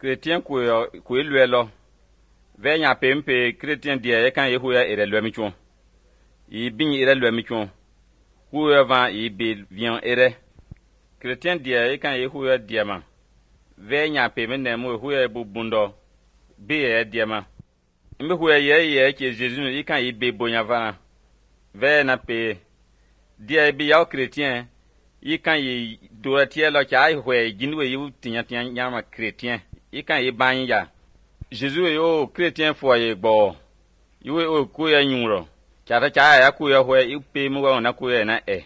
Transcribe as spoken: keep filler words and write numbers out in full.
Chrétien kwe lwe lo. Ve nya pempe chrétien die kan ye huya ere lwe mi chon. Yi bin ere lwe mi chon. Huya van yi be vian ere. Chrétien die kan ye huya diema. Ve nya peme ne mo huya bu bundo. Be ye diema. Mbe huya ye ye ke Jésus yi kan yi be bonya vana. Ve na pe die bi yaw chrétien yi kan yi dora tie lo cha hwe jinwe yi tinya tinya nyama chrétien. Yi kan yi ban ya. Jésus yo chrétien foyer gbo. Yi o ku ya nyuro. Cha ta cha ya ku ya hwe yi pe mu wa na ku ya na e.